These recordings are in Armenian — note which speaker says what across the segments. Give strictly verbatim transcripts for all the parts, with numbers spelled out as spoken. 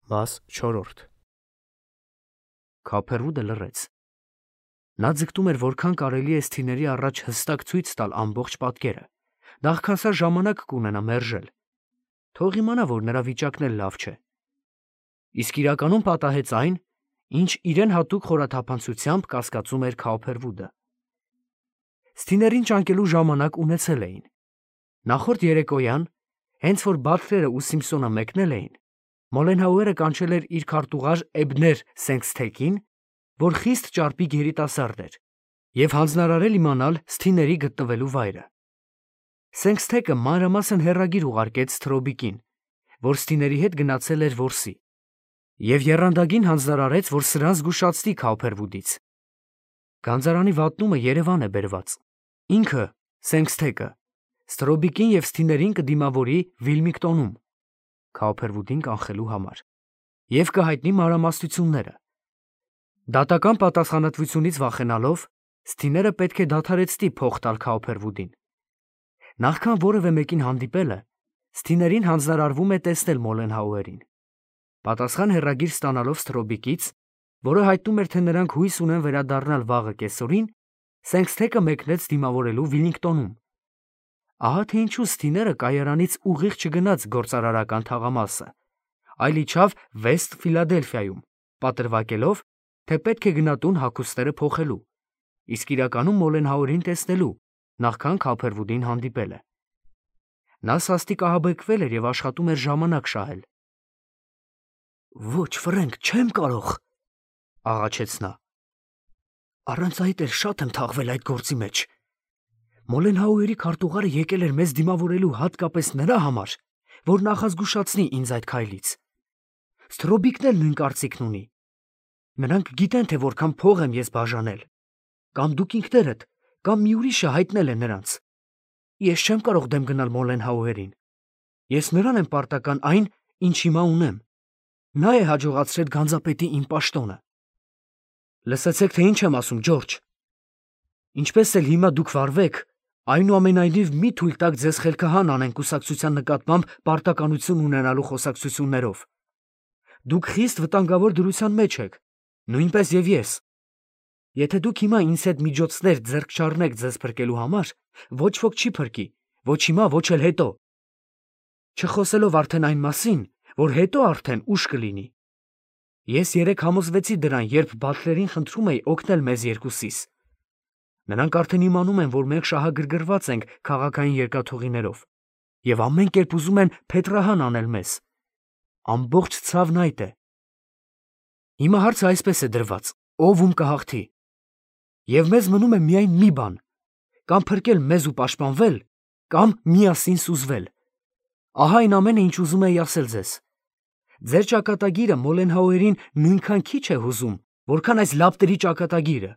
Speaker 1: Մաս չորրորդ Քափերուդը լռեց. նա ձգտում էր որքան կարելի է Սթիների առաջ հստակ ցույց տալ ամբողջ պատկերը, նախքան սա ժամանակ կունենա մերժել, թող իմանա, որ նրա վիճակն էլ լավ չէ, իսկ իրականում պատահեց այն, ինչ իրեն հատուկ խորաթափանցությամբ կասկածում էր Քափերուդը. Սթիներին ճանկելու ժամանակ ունեցել էին, նախորդ երեկոյան, հենց որ Բաթլերը ու Սիմփսոնը մեկնել էին, Մոլենհաուերը կանչել էր իր քարտուղար Էբներ Սենքսթեքին, որ խիստ ճարպիկ երիտասարդ էր, և հանձնարարել իմանալ Սթիների գտնվելու վայրը։ Սենքսթեքը մանրամասն հեռագիր ուղարկեց Սթրոբիկին, որ Սթիների հետ գնացել էր որսի, և եռանդագին հանձնարարեց, որ սրան զգուշացնի Քափերուդից։ Գանձարանի վատնումը Երևան է բերված, ինքը Սենքսթեքը Սթրոբիկին և Սթիներին կդիմավորի Վիլմինգտոնում Քափերուդին կանխելու համար և կհայտնի մանրամասնությունները։ Դատական պատասխանատվությունից վախենալով, Սթիները պետք է դադարեցնի փող տալ Քափերուդին։ Նախքան որևէ մեկին հանդիպելը, Սթիներին հանձնարարվում է տեսնել Մոլենհաուերին։ Պատասխան հեռագիր ստանալով Սթրոբիկից, որը հայտնում էր, թե նրանք հույս ունեն վերադառնալ վաղը կեսօրին, Սենքսթեքը մեկնեց դիմավորելու Վիլմինգտոնում։ Ահա թե ինչու Սթիները կայարանից ուղիղ չգնաց գործարարական թաղամասը, այլ իջավ Վեստ Ֆիլադելֆիայում, պատրվակելով, թե պետք է գնա տուն հագուստները փոխելու, իսկ իրականում Մոլենհաուերին տեսնելու, նախքան Քափերուդին հանդիպելը։ Նա սաստիկ ահաբեկվել էր և աշխատում էր ժամանակ շահել։ «Ոչ, Ֆրենկ, չեմ կարող», աղաչեց նա։ «Առանց այդ էլ շատ եմ թաղվել այդ գործի մեջ։ Մոլենհաուերի քարտուղարը եկել էր մեզ դիմավորելու հատկապես նրա համար, որ նախազգուշացնի ինձ այդ քայլից։ Սթրոբիկն էլ նույն կարծիքն ունի։ Նրանք գիտեն, թե որքան փող եմ ես բաժանել։ Կամ դուք ինքներդ, կամ մի ուրիշը հայտնել է նրանց։ Ես չեմ կարող դեմ գնալ Մոլենհաուերին։ Ես նրան եմ պարտական այն, ինչ հիմա ունեմ։ Նա է հաջողացրել գանձապետի իմ պաշտոնը։ Լսեցեք, թե ինչ եմ ասում, Ջորջ։ Ինչպես էլ հիմա դուք վարվեք, այնուամենայնիվ մի թույլ տաք ձեզ խելքահան անեն կուսակցության նկատմամբ պարտականություն ունենալու խոսակցություններով։ Դուք խիստ վտանգավոր դրության մեջ եք, նույնպես և ես։ Եթե դուք հիմա ինձ հետ միջոցներ ձեռք չառնեք ձեզ փրկելու համար, ոչ ոք չի փրկի, ոչ հիմա, ոչ էլ հետո։ Չխոսելով արդեն այն մասին, որ հետո արդեն ուշ կլինի։ Ես երեկ համոզվեցի դրան, երբ Բաթլերին խնդրում էի օգնել մեզ երկուսիս։ Նրանք արդեն իմանում են, որ մենք շահագրգռված ենք քաղաքային երկաթուղիներով և ամեն կերպ ուզում են փետրահան անել մեզ։ Ամբողջ ցավն այդ է։ Հիմա հարցը այսպես է դրված. ով ում կհաղթի։ Եվ մեզ մնում է միայն մի բան. կամ փրկել մեզ ու պաշտպանվել, կամ միասին սուզվել։ Ահա այն ամենը, ինչ ուզում էի ասել ձեզ։ Ձեր ճակատագիրը Մոլենհաուերին նույնքան քիչ է հուզում, որքան այս լապտերի ճակատագիրը։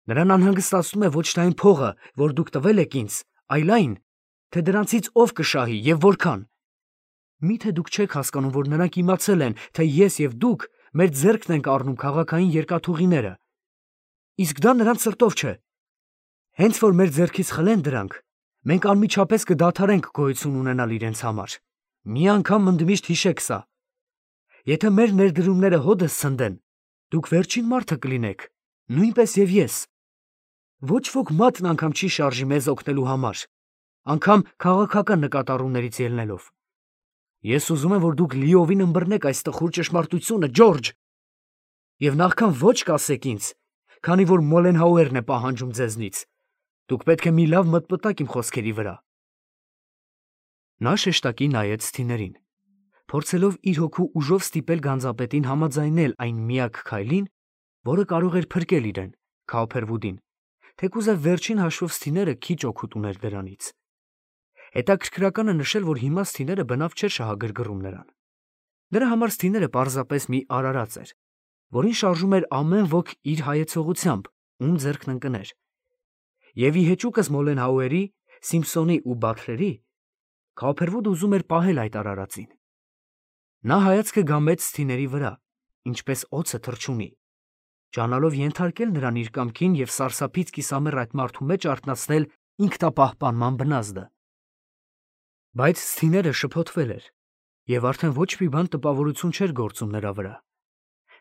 Speaker 1: Նրան անհանգստացնում է ոչ թե այն փողը, որ դուք տվել եք ինձ, այլ այն, թե դրանցից ով կշահի և որքան։ Մի՞թե դուք չեք հասկանում, որ նրանք իմացել են, թե ես և դուք մեր ձեռքն ենք առնում քաղաքային երկաթուղիները։ Իսկ դա նրանց սրտով չէ։ Հենց որ մեր ձեռքից խլեն դրանք, մենք անմիջապես կդադարենք գոյություն ունենալ իրենց համար։ Մի անգամ ընդմիշտ հիշեք սա։ Եթե մեր ներդրումները հօդս ցնդեն, դուք վերջին մարդը կլինեք, նույնպես և ես։ Ոչ ոք մատն անգամ չի շարժի մեզ օգնելու համար, անգամ քաղաքական նկատառումներից ելնելով։ Ես ուզում եմ, որ դուք լիովին ըմբռնեք այս տխուր ճշմարտությունը, Ջորջ, և նախքան ոչ կասեք ինձ, քանի որ Մոլենհաուերն է պահանջում ձեզնից, դուք պետք է մի լավ մտմտակ իմ խոսքերի վրա։ Նա շեշտակի նայեց Սթիներին, փորձելով իր հոգու ուժով ստիպել գանձապետին համաձայնել այն միակ քայլին, որը կարող էր փրկել իրեն, Քափերուդին, թեկուզև վերջին հաշվով Սթիները քիչ օգուտ ուներ դրանից։ Հետաքրքրական է նշել, որ հիմա Սթիները բնավ չէր շահագրգռում նրան։ Նրա համար Սթիները պարզապես մի արարած էր, որին շարժում էր ամեն ոք իր հայեցողությամբ, ում ձեռքն ընկներ։ Եվ ի հեճուկս Մոլենհաուերի, Սիմփսոնի ու Բաթլերի, Քափերուդը ուզում էր պահել այդ արարածին։ Նա հայացքը գամեց Սթիների վրա, ինչպես օձը թռչունի, ջանալով ենթարկել նրան իր կամքին և սարսափից կիսամեռ այդ մարդու մեջ արթնացնել ինքնապահպանման բնազդը։ Բայց Սթիները շփոթվել էր Եվ արդեն ոչ մի բան տպավորություն չէր գործում նրա վրա։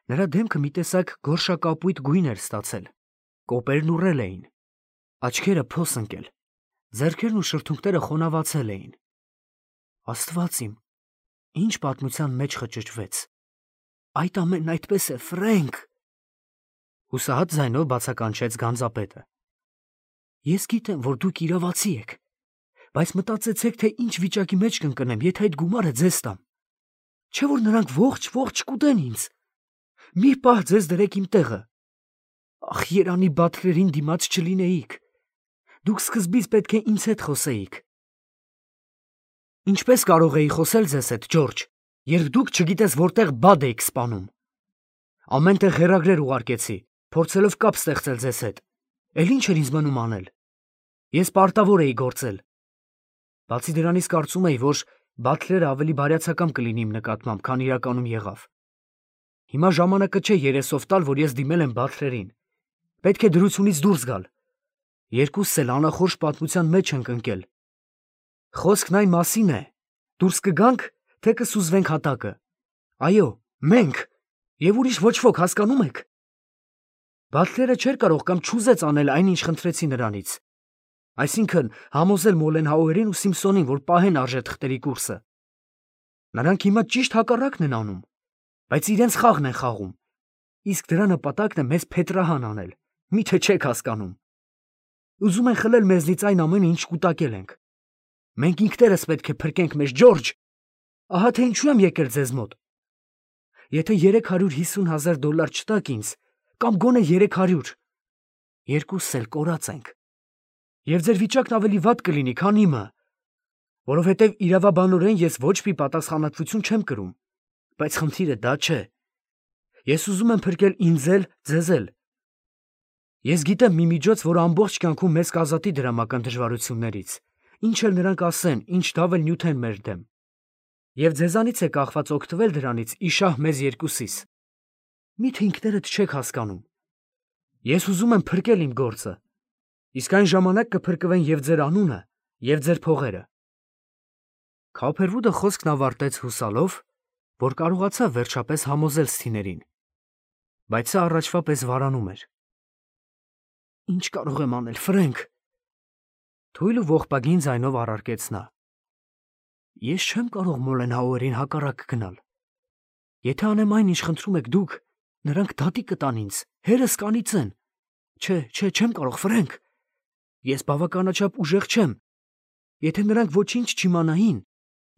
Speaker 1: Նրա դեմքը մի տեսակ գորշակապույտ գույն էր ստացել, կոպերն ուռել էին, աչքերը փոս ընկել, ձեռքերն ու շրթունքները խոնավացել էին։ Աստված իմ, ինչ պատմության մեջ խճճվեց։ Այդ ամենն այդպես է, Ֆրենկ։ Հուսահատ ձայնով բացականչեց գանձապետը։ Ես գիտեմ, որ դուք իրավացի եք, բայց մտածեցեք, թե ինչ վիճակի մեջ կընկնեմ, եթե այդ գումարը ձեզ տամ։ Չէ՞ որ նրանք ողջ-ողջ կուտեն ինձ։ Մի պահ ձեզ դրեք իմ տեղը։ Ախ, երանի բաթլերին դիմաց չլինեիք։ Դուք սկզբից պետք է ինձ հետ խոսեիք։ Ինչպես կարող էի խոսել ձեզ հետ, Ջորջ, երբ դուք չգիտես որտեղ բադ էիք սպանում։ Ամեն տեղ հեռագրեր ուղարկեցի, փորձելով կապ ստեղծել ձեզ հետ։ Էլ ինչ էր ինձ մնում անել։ Ես պարտավոր էի գործել։ Բացի դրանից կարծում էի, որ Բաթլերը ավելի բարյացակամ կլինի իմ նկատմամբ, քան իրականում եղավ։ Հիմա ժամանակը չէ երեսով տալ, որ ես դիմել եմ Բաթլերին։ Պետք է դրությունից դուրս գալ։ Երկուսս էլ անախորժ պատմության մեջ ենք ընկել։ Խոսքն այն մասին է, դուրս կգանք, թե կսուզվենք հատակը։ Այո, մենք, եւ ուրիշ ոչ ոք, հասկանում եք։ Բաթլերը չէր կարող կամ չուզեց անել այն, ինչ խնդրեցի նրանից։ Այսինքն համոզել Մոլենհաուերին ու Սիմպսոնին, որ պահեն արժե թղթերի կուրսը։ Նրանք հիմա ճիշտ հակառակն են անում, բայց իրենց խաղն են խաղում։ Իսկ դրա նպատակն է մեզ փետրահան անել, միթե չեք հասկանում։ Ուզում են խլել մեզնից այն ամենը, ինչ կուտակել ենք։ Մենք ինքներս պետք է փրկենք մեզ, Ջորջ։ Ահա թե ինչու եմ եկել ձեզ մոտ։ Եթե երեք հարյուր հիսուն հազար դոլար չտաք ինձ, կամ գոնե երեք հարյուր, երկուսս էլ կորած ենք։ Եվ ձեր վիճակն ավելի վատ կլինի, քան իմը, որովհետև իրավաբանորեն ես ոչ մի պատասխանատվություն չեմ կրում, բայց խնդիրը դա չէ։ Ես ուզում եմ փրկել ինձ էլ, ձեզ էլ։ Ես գիտեմ մի միջոց, որ ամբողջ կյանքում մեզ կազատի դրամական դժվարություններից, ինչ էլ նրանք ասեն, ինչ դավ էլ նյութեն մեր դեմ։ Եվ ձեզանից է կախված օգտվել դրանից իշահ մեզ երկուսիս։ Միթե ինքներդ չեք հասկանում։ Ես ուզում եմ փրկել իմ գործը, իսկ այն ժամանակ կփրկվեն և ձեր անունը, և ձեր փողերը։ Քոփերվուդը խոսքն ավարտեց հուսալով, որ կարողացավ վերջապես համոզել Սթիներին, բայց սա առաջվա պես վարանում էր։ Ինչ կարող եմ անել, Ֆրենկ։ Թույլ ու ողբագին ձայնով առարկեց նա։ Ես չեմ կարող Մոլենհաուերին հակառակ գնալ։ Եթե անեմ այն, ինչ խնդրում եք դուք, նրանք դատի կտան ինձ, հերս կանիծեն։ Չէ, չէ, չեմ կարող, Ֆրենկ։ Ես բավականաչափ ուժեղ չեմ։ Եթե նրանք ոչինչ չիմանային,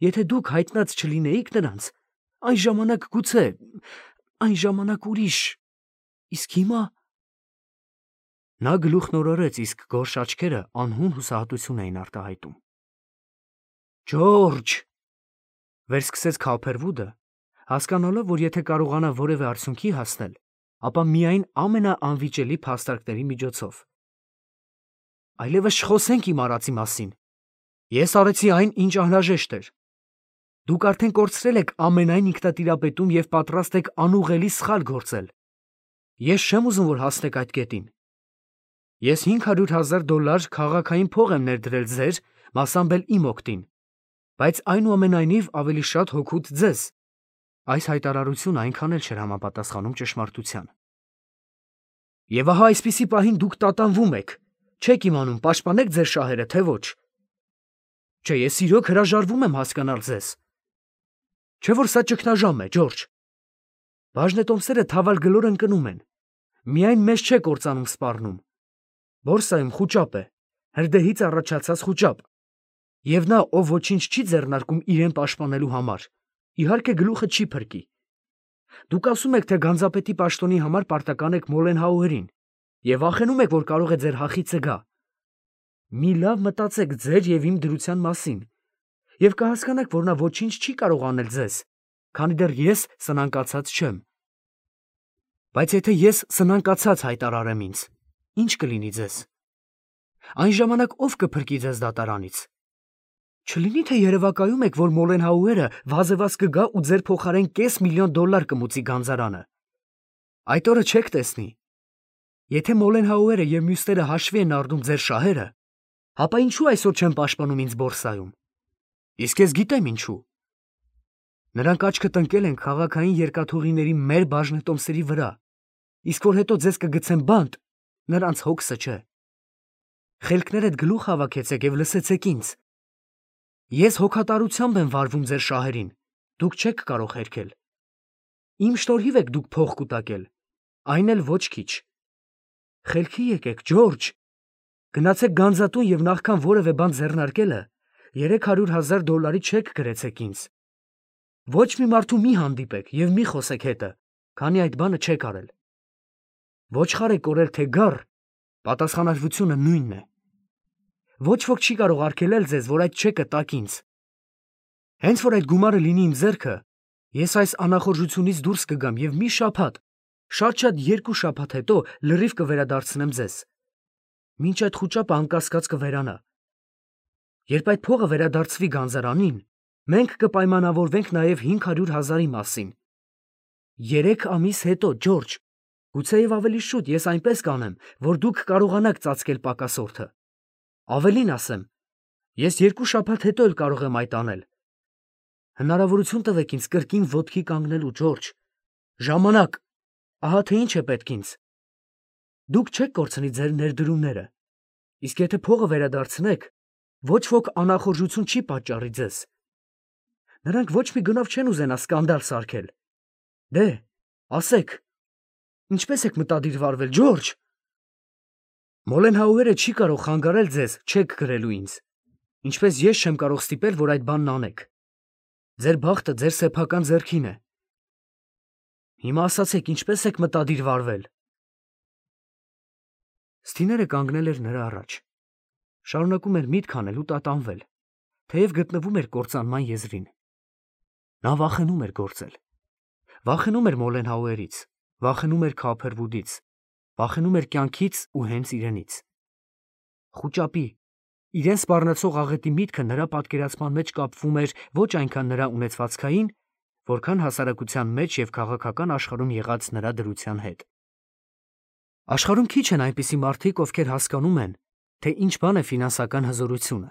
Speaker 1: եթե դուք հայտնած չլինեիք նրանց, այն ժամանակ գուցե, այն ժամանակ ուրիշ։ Իսկ հիմա… Նա գլուխն օրորեց, իսկ գորշ աչքերը անհուն հուսահատություն էին արտահայտում։ Ջորջ, վերսկսեց Քոփերվուդը, հասկանալով, որ եթե կարողանա որևէ արդյունքի հասնել, ապա միայն ամենաանվիճելի փաստարկների միջոցով։ Այլևս չխոսենք իմ արածի մասին։ Ես արեցի այն, ինչ անհրաժեշտ էր։ Դուք արդեն կորցրել եք ամենայն ինքնատիրապետում և պատրաստ եք անուղղելի սխալ գործել։ Ես չեմ ուզում, որ հասնեք այդ կետին։ Ես հինգ հարյուր հազար դոլար քաղաքային փող եմ ներդրել ձեր, մասամբ էլ իմ օգտին, բայց այնուամենայնիվ ավելի շատ հօգուտ ձեզ։ Այս հայտարարությունը այնքան էլ չէր համապատասխանում ճշմարտության։ Եվ ահա այսպիսի պահին դուք տատանվում եք, չեք իմանում պաշտպանեք ձեր շահերը, թե ոչ։ Չէ, ես իրոք հրաժարվում եմ հասկանալ ձեզ։ Չէ՞ որ սա ճգնաժամ է, Ջորջ։ Բաժնետոմսերը թավալ գլոր ընկնում են։ Միայն մեզ չէ կործանում սպառնում։ Բորսայում խուճապ է, հրդեհից առաջացած խուճապ։ Եվ նա, ով ոչինչ չի ձեռնարկում իրեն պաշտպանելու համար, իհարկե գլուխը չի փրկի։ Դուք ասում եք, թե գանձապետի պաշտոնի համար պարտական եք Մոլենհաուերին և վախենում եք, որ կարող է ձեր հախիծը գա։ Մի լավ մտածեք ձեր և իմ դրության մասին և կհասկանաք, որ նա ոչինչ չի կարող անել ձեզ, քանի դեռ ես սնանկացած չեմ։ Բայց եթե ես սնանկացած հայտարարեմ ինձ, ինչ կլինի ձեզ։ Այն ժամանակ ով կփրկի ձեզ դատարանից։ Չլինի թե երևակայում եք, որ Մոլենհաուերը վազևազ կգա ու ձեր փոխարեն կես միլիոն դոլար կմուծի գանձարանը։ Այդ օրը չեք տեսնի։ Եթե Մոլենհաուերը և մյուսները հաշվի են առնում ձեր շահերը, ապա ինչու այսօր չեն պաշտպանում ինձ բորսայում։ Իսկ ես գիտեմ ինչու։ Նրանք աչքը տնկել են քաղաքային երկաթուղիների մեր բաժնետոմսերի վրա, իսկ որ հետո ձեզ կգցեն բանտ, նրանց հոգսը չէ։ Խելքներդ գլուխ հավաքեցեք եւ լսեցեք ինձ։ Ես հոգատարությամբ եմ վարվում ձեր շահերին, դուք չեք կարող հերքել։ Իմ շնորհիվ եք դուք փող կուտակել, այն էլ ոչ քիչ։ Խելքի եկեք, Ջորջ, գնացեք Գանձատուն եւ նախքան որևէ բան ձեռնարկելը, երեք հարյուր հազար դոլարի չեք գրեցեք ինձ։ Ոչ մի մարդու մի հանդիպեք եւ մի խոսեք հետը, քանի այդ բանը չեք արել։ Ոչխար եք կորել թե գառ, պատասխանատվությունը նույնն է։ Ոչ ոք չի կարող արգելել ձեզ, որ այդ չեկը տաք ինձ։ Հենց որ այդ գումարը լինի իմ ձեռքը, ես այս անախորժությունից դուրս կգամ եւ մի շաբաթ, շատ-շատ երկու շաբաթ հետո լրիվ կվերադարձնեմ ձեզ։ Մինչ այդ խուճապը անկասկած կվերանա։ Երբ այդ փողը վերադարձվի Գանձարանին, մենք կպայմանավորվենք նաև հինգ հարյուր հազարի մասին։ Երեք ամիս հետո, Ջորջ, գուցեև ավելի շուտ ես այնպես կանեմ, որ դուք կարողանաք ծածկել պակասորդը։ Ավելին ասեմ, ես երկու շաբաթ հետո էլ կարող եմ այդ անել։ Հնարավորություն տվեք ինձ կրկին ոտքի կանգնելու, Ջորջ։ Ժամանակ, ահա թե ինչ է պետք ինձ։ Դուք չեք կորցնի ձեր ներդրումները, իսկ եթե փողը վերադարձնեք, ոչ ոք անախորժություն չի պատճառի ձեզ։ Նրանք ոչ մի գնով չեն ուզենա սկանդալ սարքել։ Դե, ասեք, ինչպես եք մտադիր վարվել, Ջորջ։ Մոլենհաուերը չի կարող խանգարել ձեզ չեք գրելու ինձ, ինչպես ես չեմ կարող ստիպել, որ այդ բանն անեք։ Ձեր բախտը ձեր սեփական ձեռքին է։ Հիմա ասացեք, ինչպես եք մտադիր վարվել։ Սթիները կանգնել էր նրա առաջ։ Շարունակում էր միտք անել ու տատանվել, թեև գտնվում էր կործանման եզրին։ Նա վախենում էր գործել։ Վախենում էր Մոլենհաուերից, վախենում էր Քոփերվուդից, վախենում էր կյանքից ու հենց իրենից։ Խուճապի, իրեն սպառնացող աղետի միտքը նրա պատկերացման մեջ կապվում էր ոչ այնքան նրա ունեցվածքային, որքան հասարակության մեջ եւ քաղաքական աշխարհում եղած նրա դրության հետ։ Աշխարհում քիչ են այնպիսի մարդիկ, ովքեր հասկանում են, թե ինչ բան է ֆինանսական հզորությունը։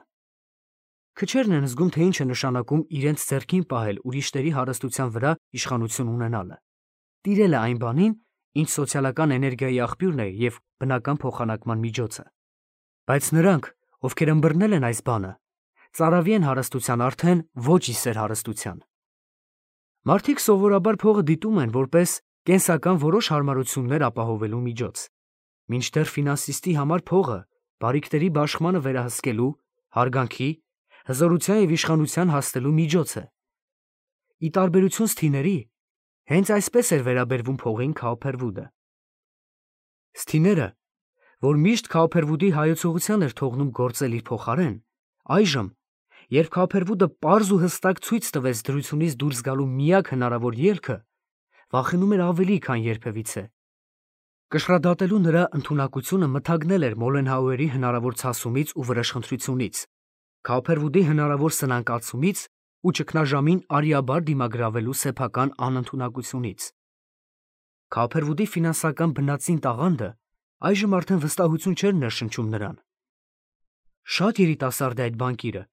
Speaker 1: Քչերն են զգում, թե ինչ է նշանակում իրենց ձեռքին պահել ուրիշների հարստության վրա իշխանություն ունենալը։ Տիրելը այն բանին, ինչ սոցիալական էներգիայի աղբյուրն է եւ բնական փոխանակման միջոցը։ Բայց նրանք, ովքեր ըմբռնել են այս բանը, ծարավի են հարստության արդեն ոչ իսեր հարստության։ Մարդիկ սովորաբար փողը դիտում են որպես կենսական որոշ հարմարություններ ապահովելու միջոց, մինչդեռ ֆինանսիստի համար փողը բարիքների բաշխմանը վերահսկելու, հարգանքի, հզորության եւ իշխանության հասնելու միջոց է։ Ի տարբերություն Սթիների, հենց այսպես էր վերաբերվում փողին Քոփերվուդը։ Սթիները, որ միշտ Քոփերվուդի հայեցողության էր թողնում գործել իր փոխարեն, այժմ, երբ Քոփերվուդը պարզ ու հստակ ցույց տվեց դրությունից դուրս գալու միակ հնարավոր ելքը, վախենում էր ավելի, քան երբևիցե։ Կշռադատելու նրա ընդունակությունը մթագնել էր Մոլենհաուերի հնարավոր ցասումից ու վրեժխնդրությունից, Քոփերվուդի հնարավոր սնանկացումից ու ճգնաժամին արիաբար դիմագրավելու սեփական անընդունակությունից։ Քոփերվուդի ֆինանսական բնածին տաղանդը այժմ արդեն վստահություն չէր ներշնչում նրան։ Շատ երիտասարդ է այդ բանկիրը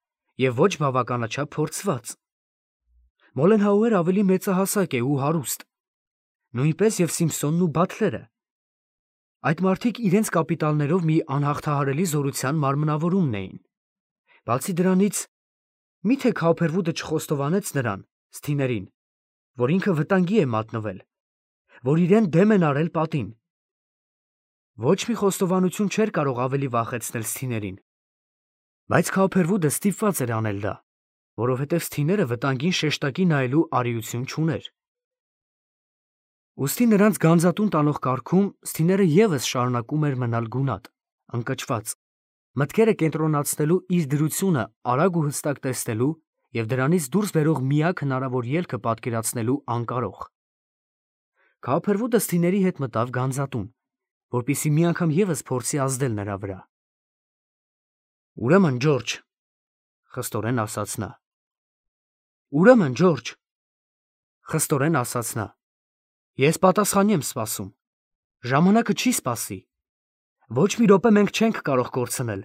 Speaker 1: եւ ոչ բավականաչափ փորձված։ Մոլենհաուերը ավելի մեծահասակ է ու հարուստ, նույնպես եւ Սիմփսոնն ու Բաթլերը։ Այդ մարդիկ իրենց կապիտալներով մի անհաղթահարելի զորության մարմնավորումն էին։ Բացի դրանից, միթե Քոփերվուդը չխոստովանեց նրան, Սթիներին, որ ինքը վտանգի է մատնվել, որ իրեն դեմ են արել պատին։ Ոչ մի խոստովանություն չէր կարող ավելի վախեցնել Սթիներին։ Բայց Քոփերվուդը ստիպված էր անել դա, որովհետև Սթիները վտանգին շեշտակի նայելու արիություն չուներ։ Ուստի նրանց Գանձատուն տանող կարգում Սթիները եւս շարունակում էր մնալ գունատ, ընկճված, մտքերը կենտրոնացնելու իր դրությունը արագ ու հստակ տեսնելու եւ դրանից դուրս բերող միակ հնարավոր ելքը պատկերացնելու անկարող։ Քոփերվուդը Սթիների հետ մտավ Գանձատուն, որպեսզի մի անգամ եւս փորձի ազդել նրա վրա։ Ուրեմն, Ջորջ, խստորեն ասաց նա։ Ուրեմն, Ջորջ, խստորեն ասաց նա։ Ես պատասխանի եմ սպասում։ Ժամանակը չի սպասի։ Ոչ մի րոպե մենք չենք կարող կորցնել։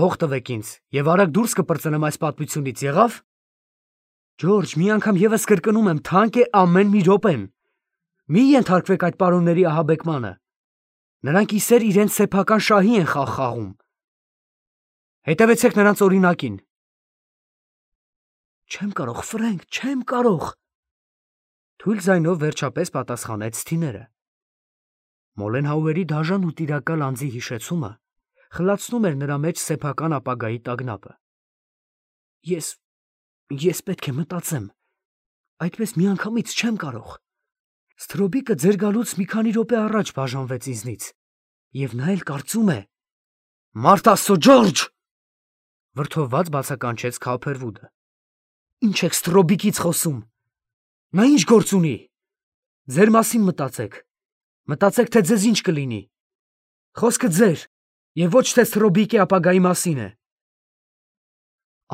Speaker 1: Փող տվեք ինձ եւ արագ դուրս կպրծնեմ այս պատմությունից, եղավ։ Ջորջ, մի անգամ եւս կրկնում եմ, թանկ է ամեն մի րոպեն։ Մի ենթարկվեք այդ պարոնների ահաբեկմանը։ Նրանք իսեր իրենց սեփական շահի են խաղ խաղում։ Հետևեցեք նրանց օրինակին։ Չեմ կարող, Ֆրենկ, չեմ կարող։ Թույլ ձայնով վերջապես պատասխանեց Սթիները։ Մոլենհաուերի դաժան ու տիրակալ անձի հիշեցումը խլացնում էր նրա մեջ սեփական ապագայի տագնապը։ Ես, ես պետք է մտածեմ, այդպես միանգամից չեմ կարող։ Ստրոբիկը ձեր գալուց մի քանի րոպե առաջ բաժանվեց ինձնից, և նա էլ կարծում է… Մարդ Աստծո, Ջորջ… Վրդովված բացականչեց Քոուփերվուդը։ Ինչ եք Ստրոբիկից խոսում։ Նա ինչ գործ ունի։ Ձեր մասին մտածեք։ Մտածեք, թե ձեզ ինչ կլինի։ Խոսքը ձեր, և ոչ թե Ստրոբիկի ապագայի մասին է։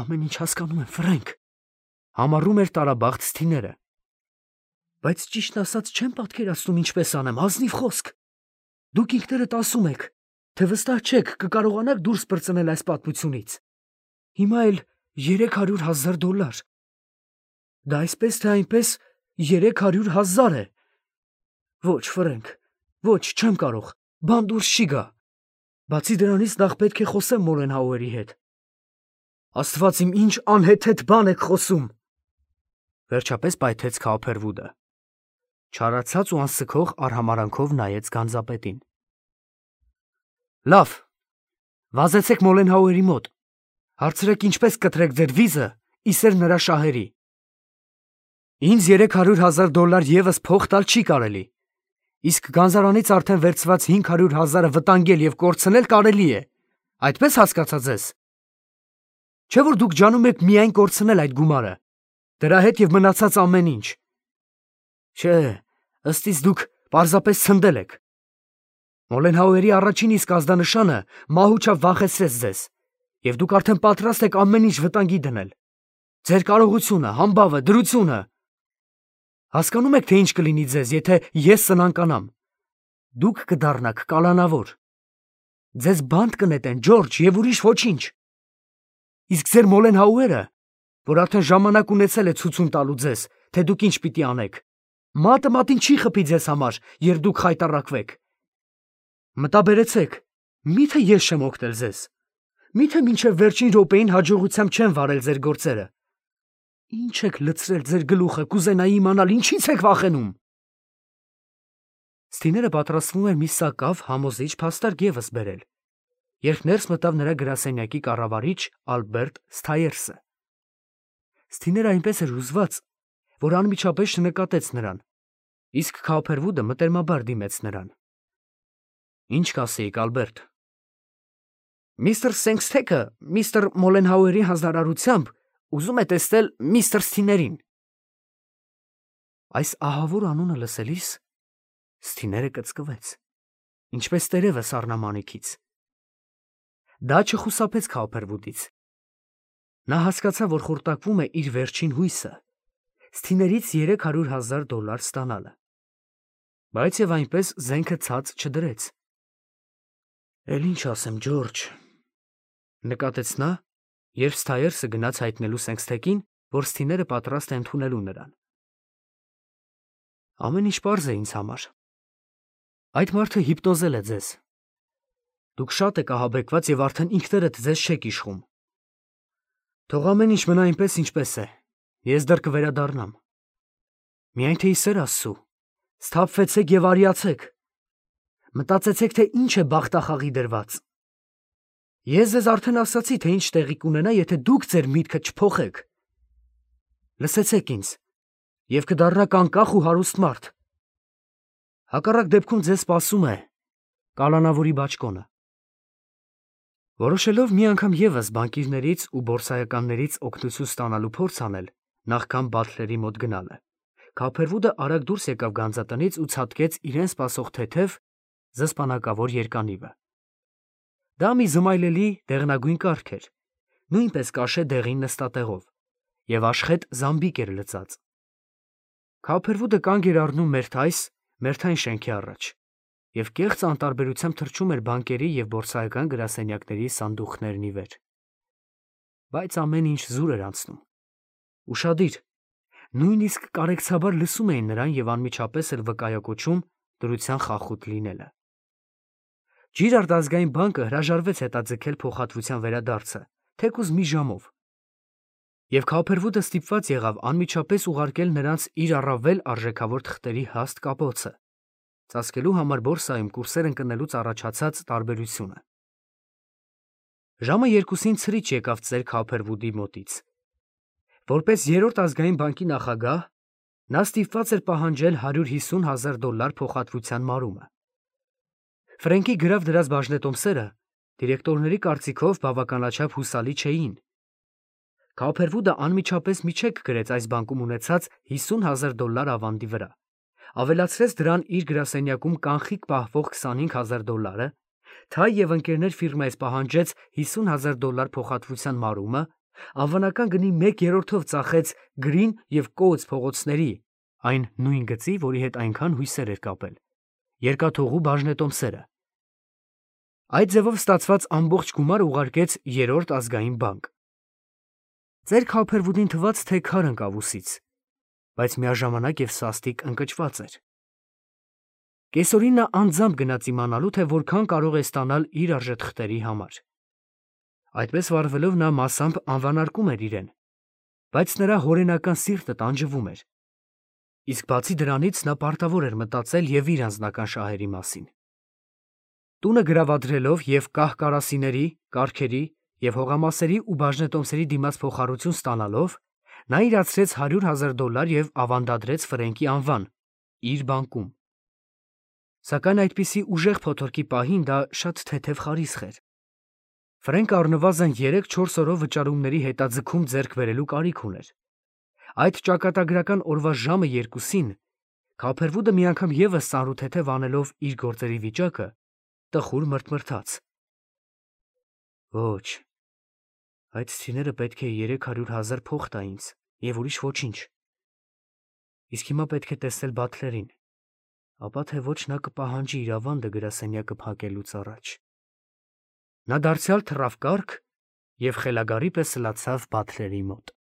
Speaker 1: Ամեն ինչ հասկանում եմ, Ֆրենկ, համառում էր տարաբախտ Սթիները։ Բայց ճիշտն ասած չեմ պատկերացնում ինչպես անեմ, ազնիվ խոսք։ Դուք ինքներդ ասում եք, թե վստահ չեք կկարողանաք դուրս պրծնել այս պատմությունից։ Հիմա էլ երեք հարյուր հազար դոլար։ Դա այսպես թե այնպես երեք հարյուր հազար է։ Ոչ, Ֆրենկ, ոչ, չեմ կարող, բան դուրս չի գա։ Բացի դրանից նախ պետք է խոսեմ Մոլենհաուերի հետ։ Աստված իմ, ինչ անհեթեթ բան եք խոսում։ Վերջապես պայթեց Քոուփերվուդը։ Չարացած ու անսքող արհամարանքով նայեց գանձապետին։ Լավ, վազեցեք Մոլենհաուերի մոտ, հարցրեք ինչպես կտրեք ձեր վիզը, իսեր նրա շահերի։ Ինձ երեք հարյուր հազար դոլար ևս փող տալ չի կարելի, իսկ գանձարանից արդեն վերցված հինգ հարյուր հազարը վտանգել և կորցնել կարելի է, այդպես հասկացա ձեզ։ Չէ՞ որ դուք ջանում եք միայն կորցնել այդ գումարը, դրա հետ և մնացած ամեն ինչ։ Չէ, ըստ իս դուք պարզապես ցնդել եք։ Մոլենհաուերի առաջին իսկ ազդանշանը մահուճավ վախեցրեց ձեզ, և դուք արդեն պատրաստ եք ամեն ինչ վտանգի դնել։ Ձեր կարողությունը, համբավը, դրությունը։ Հասկանում եք, թե ինչ կլինի ձեզ, եթե ես սնանկանամ։ Դուք կդառնաք կալանավոր։ Ձեզ բանտ կնետեն, Ջորջ, և ուրիշ ոչինչ։ Իսկ ձեր Մոլենհաուերը, որ արդեն ժամանակ ունեցել է ցույցում տալու ձեզ, թե դուք ինչ պիտի անեք, մատը մատին չի խփի ձեզ համար, երբ դուք խայտառակվեք։ Մտաբերեցեք, միթե ես չեմ օգնել ձեզ։ Միթե մինչև վերջին րոպեին հաջողությամբ չեմ վարել ձեր գործերը։ Ինչ եք լցրել ձեր գլուխը, կուզենայի իմանալ, ինչից եք վախենում։ Սթիները պատրաստվում էր մի սակավ համոզիչ փաստարկ ևս բերել, երբ ներս մտավ նրա գրասենյակի կառավարիչ Ալբերտ Սթայերսը։ Սթիները այնպես էր հուզված, որ անմիջապես չնկատեց նրան, իսկ Քոուփերվուդը մտերմաբար դիմեց նրան։ Ինչ կասեիք, Ալբերտ։ Միստր Սենքսթեքը միստր Մոլենհաուերի հանձնարարությամբ ուզում է տեսնել միստր Սթիներին։ Այս ահավոր անունը լսելիս Սթիները կծկվեց, ինչպես տերևը սառնամանիքից։ Դա չխուսափեց Քոուփերվուդից։ Նա հասկացավ, որ խորտակվում է իր վերջին հույսը, Սթիներից երեք հարյուր հազար դոլար ստանալը, բայց և այնպես զենքը ցած չդրեց։ Էլ ինչ ասեմ, Ջորջ, նկատեց նա, երբ Սթայերսը գնաց հայտնելու Սենքսթեկին, որ Սթիները պատրաստ է ընդունելու նրան։ Ամեն ինչ պարզ է ինձ համար։ Այդ մարդը հիպնոզել է ձեզ։ Դուք շատ եք ահաբեկված և արդեն ինքներդ ձեզ չեք իշխում։ Թող ամեն ինչ մնա այնպես, ինչպես է, ես դեռ կվերադառնամ։ Միայն թե ի սեր Աստծու, սթափվեցեք և արիացեք։ Մտածեցեք, թե ինչ է բախտախաղի դրված։ Ես ձեզ արդեն ասացի, թե ինչ տեղի կունենա, եթե դուք ձեր միտքը չփոխեք։ Լսեցեք ինձ, և կդառնաք անկախ ու հարուստ մարդ։ Հակառակ դեպքում ձեզ սպասում է կալանավորի բաճկոնը։ Որոշելով մի անգամ ևս բանկիրներից ու բորսայականներից օգնություն ստանալու փորձ անել, նախքան Բաթլերի մոտ գնալը, Քոուփերվուդը արագ դուրս եկավ գանձատնից ու ցատկեց իրեն սպասող թեթև զսպանակավոր երկանիվը։ Դա մի զմայլելի դեղնագույն կառք էր, նույնպես կաշե դեղին նստատեղով, և աշխետ զամբիկ էր լծած։ Քոուփերվուդը կանգ էր առնում մերթ այս, մերթ այն շենքի առաջ, և կեղծ անտարբերությամբ թռչում էր բանկերի և բորսայական գրասենյակների սանդուղքներն ի վեր։ Բայց ամեն ինչ զուր էր անցնում։ Ուշադիր, Նույնիսկ կարեկցաբար լսում էին նրան և անմիջապես էլ վկայակոչում դրության խախուտ լինելը։ Ջիրարդ ազգային բանկը հրաժարվեց հետաձգել փոխհատվության վերադարձը, թեկուզ մի ժամով, և Քոփերվուդը ստիպված եղավ անմիջապես ուղարկել նրանց իր առավել արժեքավոր թղթերի հաստ կապոցը, ծածկելու համար բորսայում կուրսեր ընկնելուց առաջացած տարբերությունը։ Ժամը երկուսին ցրիչ եկավ ծեր Քոփերվուդի մոտից։ Որպես երրորդ ազգային բանկի նախագահ, նա ստիպված էր պահանջել հարյուր հիսուն հազար դոլար փոխհատվության մարումը։ Ֆրենկի գրավ դրած բաժնետոմսերը դիրեկտորների կարծիքով բավականաչափ հուսալի չէին։ Քոփերվուդը անմիջապես մի չեք գրեց այս բանկում ունեցած հիսուն հազար դոլար ավանդի վրա, ավելացրեց դրան իր գրասենյակում կանխիկ պահվող քսանհինգ հազար դոլարը, Թայ և ընկերներ ֆիրմայից պահանջեց հիսուն հազար դոլար փոխհատվության մարումը, անվանական գնի մեկ երրորդով ծախեց Գրին և Կոուց փողոցների այն նույն գծի, որի հետ այնքան հույսեր էր կապել, երկաթուղու բաժնետոմսերը։ Այդ ձևով ստացված ամբողջ գումարը ուղարկեց երրորդ ազգային բանկ։ Ծեր Քոփերվուդին թվաց, թե քար ընկավ ուսից, բայց միաժամանակ և սաստիկ ընկճված էր։ Կեսօրին նա անձամբ գնաց իմանալու, թե որքան կարող է ստանալ իր արժեթղթերի համար։ Այդպես վարվելով նա մասամբ անվանարկում էր իրեն, բայց նրա հորենական սիրտը տանջվում էր, իսկ բացի դրանից նա պարտավոր էր մտածել և իր անձնական շահերի մասին։ Տունը գրավադրելով և կահ-կարասիների, կառքերի և հողամասերի ու բաժնետոմսերի դիմաց փոխառություն ստանալով, նա իրացրեց հարյուր հազար դոլար և ավանդադրեց Ֆրենկի անվան իր բանկում։ Սակայն այդպիսի ուժեղ փոթորկի պահին դա շատ թեթև խարիսխ էր։ Ֆրենկը առնվազն երեք-չորս օրով վճարումների հետաձգում ձեռք բերելու կարիք ուներ։ Այդ ճակատագրական օրվա ժամը երկուսին Քոփերվուդը մի անգամ ևս ծանրութեթև անելով իր գործերի վիճակը, տխուր մրթմրթաց. Ոչ, այդ ցիները պետք է երեք հարյուր հազար փող տա ինձ և ուրիշ ոչինչ։ Իսկ հիմա պետք է տեսնել Բաթլերին, ապա թե ոչ նա կպահանջի իր ավանդը գրասենյակը փակելուց առաջ։ Նա դարձյալ թռավ կառք և խելագարի պես լացավ Բաթլերի մոտ։